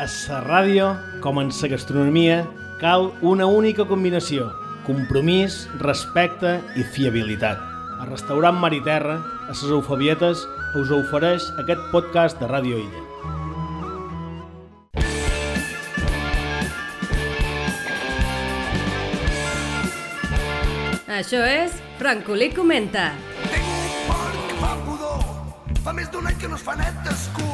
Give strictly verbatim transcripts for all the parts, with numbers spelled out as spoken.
A la ràdio, com en la gastronomia, cal una única combinació: compromís, respecte i fiabilitat. El restaurant Mar i Terra, a les Eufabietes, us ofereix aquest podcast de Ràdio Illa. Això és Francolí Comenta. Tinc un porc que fa pudor, fa més d'un any que no es fa net d'escur.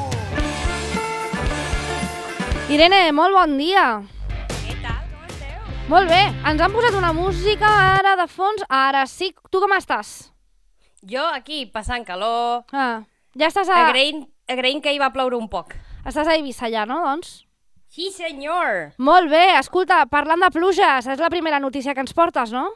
Irene, molt bon dia. Què tal? Com esteu? Molt bé, ens han posat una música ara de fons, ara sí. Tu com estàs? Jo aquí, passant calor, Ah, ja estàs a... agraint, agraint que hi va ploure un poc. Estàs a Eivissa ja, no, doncs? Sí, senyor! Molt bé, escolta, parlant de pluges, és la primera notícia que ens portes, no?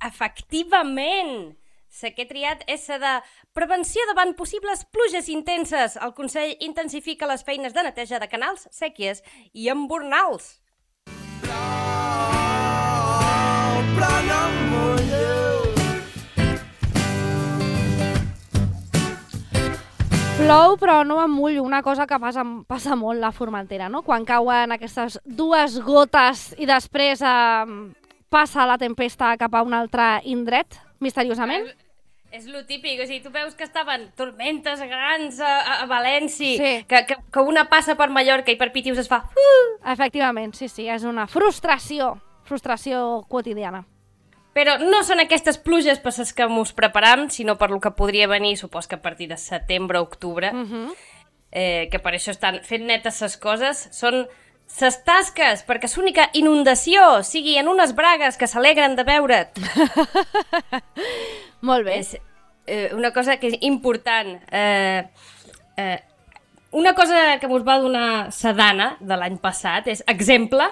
Efectivament! La que he triat és la de prevenció davant possibles pluges intenses. El Consell intensifica les feines de neteja de canals, sèquies i embornals. Plou, però no em mulleu. Plou, però no em mullo, una cosa que passa, passa molt a Formentera, no? Quan cauen aquestes dues gotes i després eh, passa la tempesta cap a un altre indret, misteriosament. És, és lo típic, o sigui, tu veus que estaven tormentes grans a, a, a València, Sí. que, que, que una passa per Mallorca i per Pitius es fa... Uh! Efectivament, sí, sí, és una frustració, frustració quotidiana. Però no són aquestes pluges per les que ens preparam, sinó per lo que podria venir, supos que a partir de setembre o octubre, Uh -huh. eh, que per això estan fent netes les coses, són ses tasques, perquè l'única inundació sigui en unes bragues que s'alegren de veure't. Molt bé. És eh, una cosa que és important. Eh, eh, una cosa que mos va donar Sedana de l'any passat és exemple,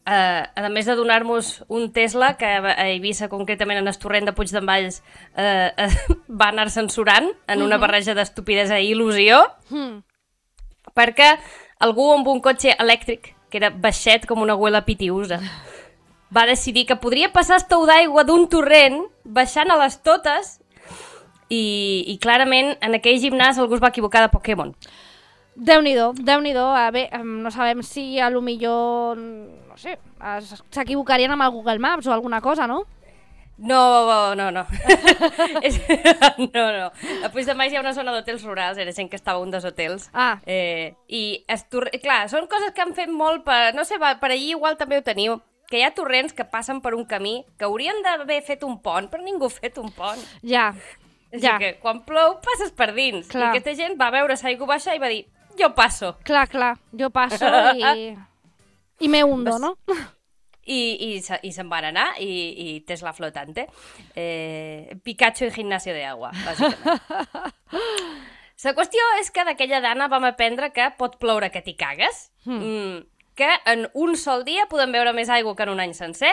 eh, a més de donar-nos un Tesla que a Eivissa, concretament en el torrent de Puigdemvalls, eh, eh, va anar censurant en una barreja d'estupidesa i il·lusió, Mm. perquè algú amb un cotxe elèctric, que era baixet com una abuela pitiusa, va decidir que podria passar el tou d'aigua d'un torrent baixant a les totes i, i clarament en aquell gimnàs algú es va equivocar de Pokémon. Déu-n'hi-do, Déu-n'hi-do. A bé, em, no sabem si a lo millor, no sé, es- s'equivocarien amb el Google Maps o alguna cosa, no? No, no, no. És- no, no. A Puigdemvalls hi ha una zona d'hotels rurals, era gent que estava a un dels hotels. Ah. Eh, I, es tor- clar, són coses que han fet molt per... No sé, va, per allí igual també ho teniu, que hi ha torrents que passen per un camí que haurien d'haver fet un pont, però ningú ha fet un pont. Ja, És ja. ja. que quan plou passes per dins. Clar. I aquesta gent va veure l'aigua baixa i va dir, jo passo. Clar, clar, jo passo i... I me hundo, no? I, i, se- i se'n van anar i, i Tesla flotante. Eh, Pikachu en gimnasio de agua, bàsicament. La qüestió és que d'aquella dana vam aprendre que pot ploure que t'hi cagues, mm, que en un sol dia podem beure més aigua que en un any sencer,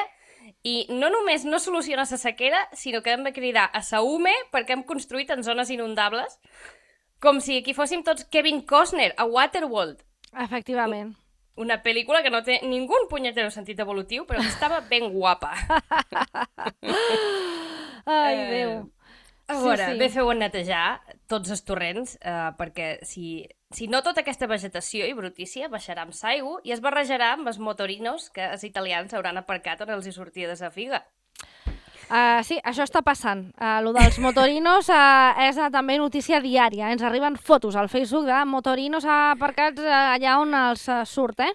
i no només no soluciona la sequera, sinó que hem de cridar a sa U M E perquè hem construït en zones inundables, com si aquí fóssim tots Kevin Costner a Waterworld. Efectivament. Una pel·lícula que no té ningú punyetero sentit evolutiu, però que estava ben guapa. Ai, Eh, Déu. A veure, Sí, sí. bé feu en netejar tots els torrents, eh, perquè si, si no tota aquesta vegetació i brutícia baixarà amb l'aigua i es barrejarà amb els motorinos que els italians hauran aparcat on els hi sortia de sa figa. Uh, sí, això està passant. Uh, lo dels motorinos uh, és uh, també notícia diària. Ens arriben fotos al Facebook de motorinos aparcats uh, allà on els uh, surt, eh?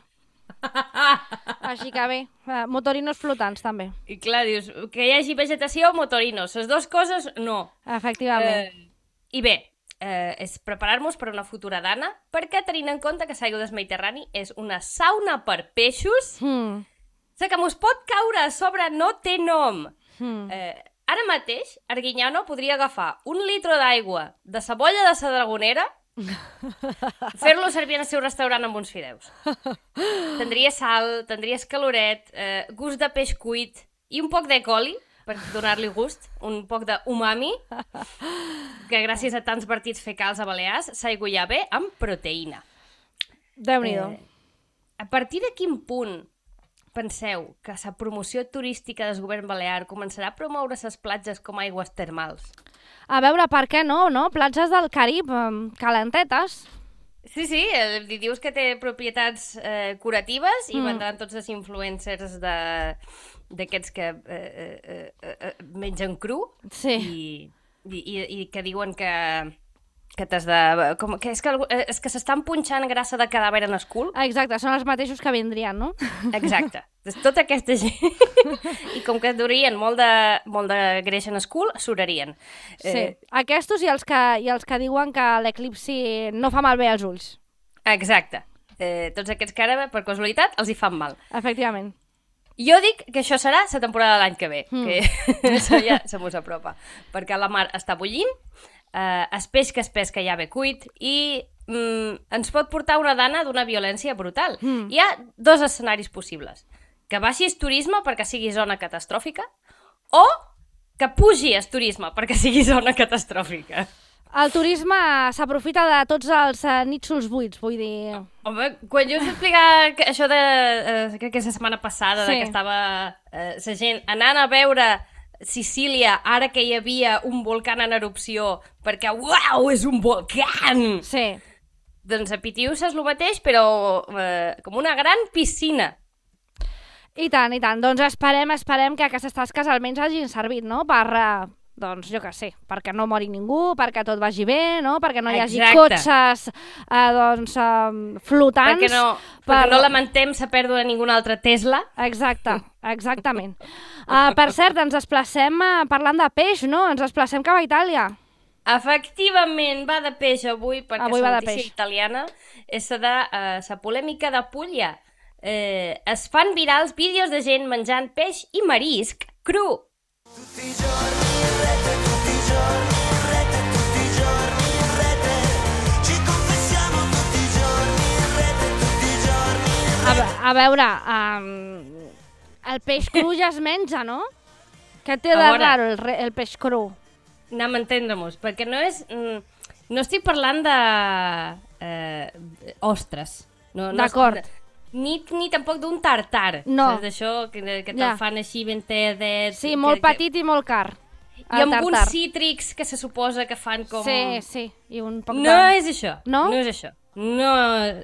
Així que bé, uh, motorinos flotants també. I clar, dius, que hi hagi vegetació o motorinos, les dues coses no. Efectivament. Eh, I bé, eh, és preparar-nos per una futura dana, perquè tenint en compte que l'aigua del Mediterrani és una sauna per peixos, Hmm. la que mos pot caure a sobre no té nom. Hmm. Eh, ara mateix, Arguiñano podria agafar un litre d'aigua de sa bolla de sa dragonera, fer-lo servir en el seu restaurant amb uns fideus. Tindria sal, tindria escaloret, eh, gust de peix cuit i un poc de coli, per donar-li gust, un poc d'umami, que gràcies a tants partits fecals a Balears s'aigua ja bé amb proteïna. Déu-n'hi-do. Eh, a partir de quin punt penseu que la promoció turística del govern balear començarà a promoure les platges com aigües termals? A veure, per què no, no? Platges del Carib, em, calentetes. Sí, sí, eh, li dius que té propietats eh, curatives i Mm. vendran tots els influencers de d'aquests que eh, eh, eh, eh, mengen cru Sí. i, i, i, i que diuen que, que t'has de... Com, que és que, algú- eh, és que s'estan punxant grassa de cadàver en el cul. Ah, exacte, són els mateixos que vindrien, no? Exacte. Doncs tota aquesta gent... I com que durien molt de, molt de greix en el cul, surarien. Sí. Aquestos i els que, i els que diuen que l'eclipsi no fa malbé als ulls. Exacte. Eh, tots aquests que ara, per casualitat, els hi fan mal. Efectivament. Jo dic que això serà la temporada de l'any que ve, Mm. que això ja se mos apropa, perquè la mar està bullint, eh, es peix que es pesca ja ve cuit i mm, ens pot portar una dana d'una violència brutal. Mm. Hi ha dos escenaris possibles. Que baixi el turisme perquè sigui zona catastròfica o que pugi el turisme perquè sigui zona catastròfica. El turisme s'aprofita de tots els uh, nítxols buits, vull dir... Home, quan jo us explicar que això de... Eh, crec que és la setmana passada, Sí. de que estava eh, la gent anant a veure Sicília ara que hi havia un volcà en erupció, perquè, uau, és un volcà! Sí. Doncs a Pitius és el mateix, però eh, com una gran piscina. I tant, i tant. Doncs esperem, esperem que aquestes tasques almenys hagin servit, no?, per... Uh... Doncs jo què sé, perquè no mori ningú, perquè tot vagi bé, no? Perquè no hi hagi Exacte. cotxes eh, doncs, eh, flotants. Perquè no, per- perquè no lamentem la pèrdua de ninguna altra Tesla. Exacte, exactament. Uh, per cert, ens desplacem uh, parlant de peix, no? Ens desplacem cap a Itàlia. Efectivament, va de peix avui, perquè Avui va la de notícia peix. italiana és la de uh, la polèmica de Puglia. Eh, es fan virals vídeos de gent menjant peix i marisc cru. Tutti i giorni in rete, tutti i giorni in rete, tutti i giorni in rete. Ci confessiamo tutti i giorni in rete, tutti i giorni in A, ve- a veure, um, el peix cru ja es menja, no? Què té A de veure. raro el, re- el peix cru? Anem a entendre-mos, perquè no és... Mm, no estic parlant de... Eh, ostres. No, no D'acord. Ni, ni tampoc d'un tartar. No. Saps d'això que, que te'l Ja. fan així ben tedet. Sí, molt que, petit i molt car. I el amb uns tartar. cítrics que se suposa que fan com... Sí, sí, i un poc No de... és això. No? No és això. No,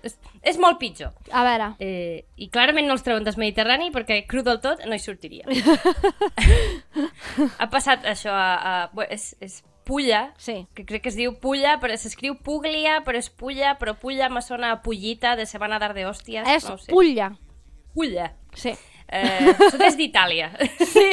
és, és molt pitjor. A veure, Eh, I clarament no els treuen del Mediterrani perquè cru del tot no hi sortiria. Ha passat això a... a bé, és, és Pulla, sí. que crec que es diu Pulla, però s'escriu Puglia, però és Pulla, però Pulla me sona a Pullita, de se van a dar de hòsties. És no ho sé. Puglia. Pulla. Sí. Eh, sud-est d'Itàlia. Sí.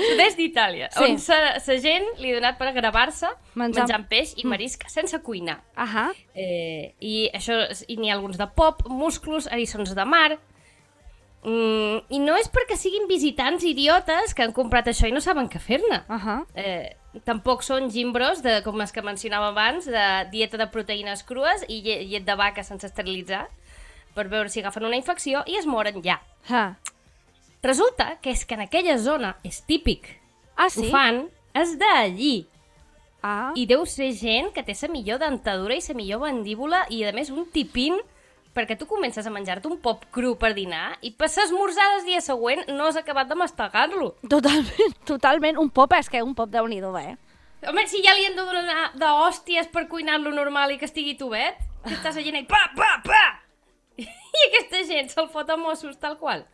Sud-est d'Itàlia, Sí. on la gent li ha donat per gravar-se Menjant- menjant peix i marisc sense cuinar. Ahà. Eh, I això és- i n'hi ha alguns de pop, musclos, eriçons de mar. Mm, I no és perquè siguin visitants idiotes que han comprat això i no saben què fer-ne. Ahà. Eh, tampoc són gimbros, de, com els que mencionava abans, de dieta de proteïnes crues i lle- llet de vaca sense esterilitzar per veure si agafen una infecció i es moren ja. Ah. Resulta que és que en aquella zona és típic. Ah, Ho sí? fan és d'allí. Ah. I deu ser gent que té la millor dentadura i la millor mandíbula i, a més, un tipín perquè tu comences a menjar-te un pop cru per dinar i per esmorzar el dia següent no has acabat de mastegar-lo. Totalment, totalment. Un pop és que un pop déu-n'hi-do, eh? Home, si ja li han de donar d'hòsties per cuinar-lo normal i que estigui tubet, que estàs a gent i pa, pa, pa! I aquesta gent se'l fot a Mossos tal qual.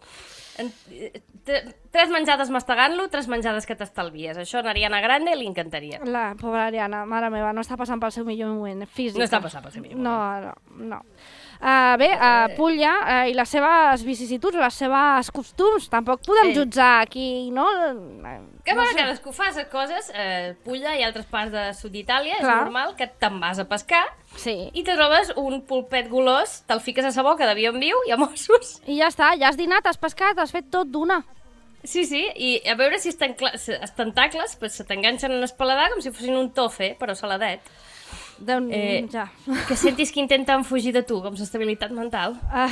En, eh, tre- tres menjades mastegant-lo, tres menjades que t'estalvies. Això a Ariana Grande li encantaria. La pobra Ariana, mare meva, no està passant pel seu millor moment físic. No està passant pel seu millor No, no, no. Uh, bé, uh, Puglia uh, i les seves vicissituds, les seves costums, tampoc podem Eh. jutjar aquí, no? Que no bueno, sé. cadascú fa les coses, eh, Pulla i altres parts de sud d'Itàlia, és Clar. normal que te'n vas a pescar Sí. i te trobes un pulpet golós, te'l fiques a sa boca d'avió en viu i a Mossos. I ja està, ja has dinat, has pescat, has fet tot d'una. Sí, sí, i a veure si els, tencla- si els tentacles pues, se t'enganxen en el paladar com si fossin un tofe, però saladet. Déu, Eh, ja. Que sentis que intenten fugir de tu, com l'estabilitat mental. Uh,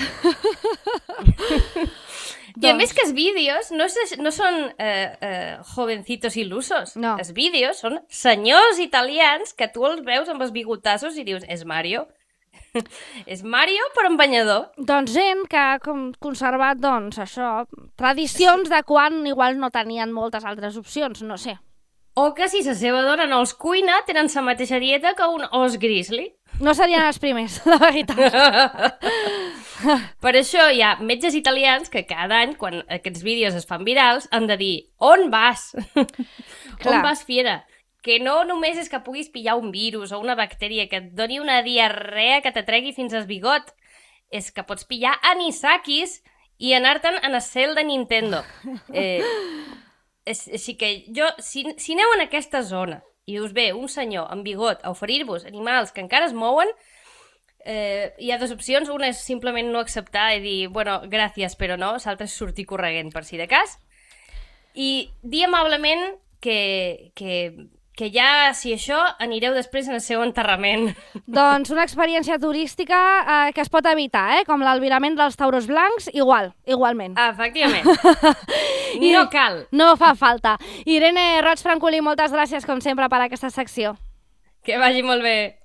I a més que els vídeos no, és, no són eh, eh, jovencitos il·lusos. No. Els vídeos són senyors italians que tu els veus amb els bigotassos i dius, és Mario? És Mario però amb banyador. doncs gent que ha com conservat, doncs, això, tradicions de quan igual no tenien moltes altres opcions, no sé. O que si la seva dona no els cuina, tenen la mateixa dieta que un os grizzly. No serien els primers, la veritat. Per això hi ha metges italians que cada any, quan aquests vídeos es fan virals, han de dir, on vas? Clar. On vas, fiera? Que no només és que puguis pillar un virus o una bactèria que et doni una diarrea que t'atregui fins al bigot, és que pots pillar anisakis i anar-te'n en el cel de Nintendo. Eh, és, així que jo, si, si aneu en aquesta zona i us ve un senyor amb bigot a oferir-vos animals que encara es mouen, eh, hi ha dues opcions. Una és simplement no acceptar i dir, bueno, gràcies, però no, l'altra és sortir corregent per si de cas. I dir amablement que, que, que ja, si això, anireu després en el seu enterrament. Doncs una experiència turística eh, que es pot evitar, eh? Com l'albirament dels tauros blancs, igual, igualment. Efectivament. No cal. No fa falta. Irene Roig Francolí, moltes gràcies, com sempre, per aquesta secció. Que vagi molt bé.